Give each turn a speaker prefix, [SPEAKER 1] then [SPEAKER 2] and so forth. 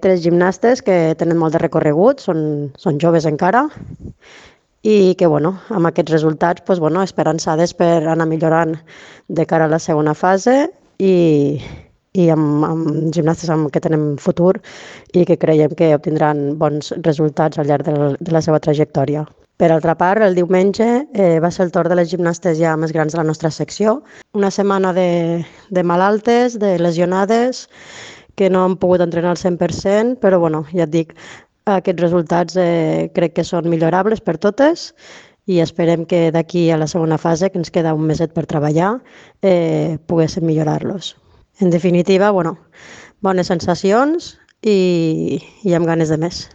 [SPEAKER 1] 3 gimnastes que tenen molt de recorregut, són joves encara, i que amb aquests resultats esperançades per anar millorant de cara a la segona fase i amb gimnastes amb què tenem futur i que creiem que obtindran bons resultats al llarg de la seva trajectòria. Per altra part, el diumenge va ser el torn de les gimnastes ja més grans de la nostra secció. Una setmana de malaltes, de lesionades, que no han pogut entrenar al 100%, però ja et dic, aquests resultats crec que són millorables per totes i esperem que d'aquí a la segona fase, que ens queda un meset per treballar, poguéssim millorar-los. En definitiva, bones sensacions i amb ganes de més.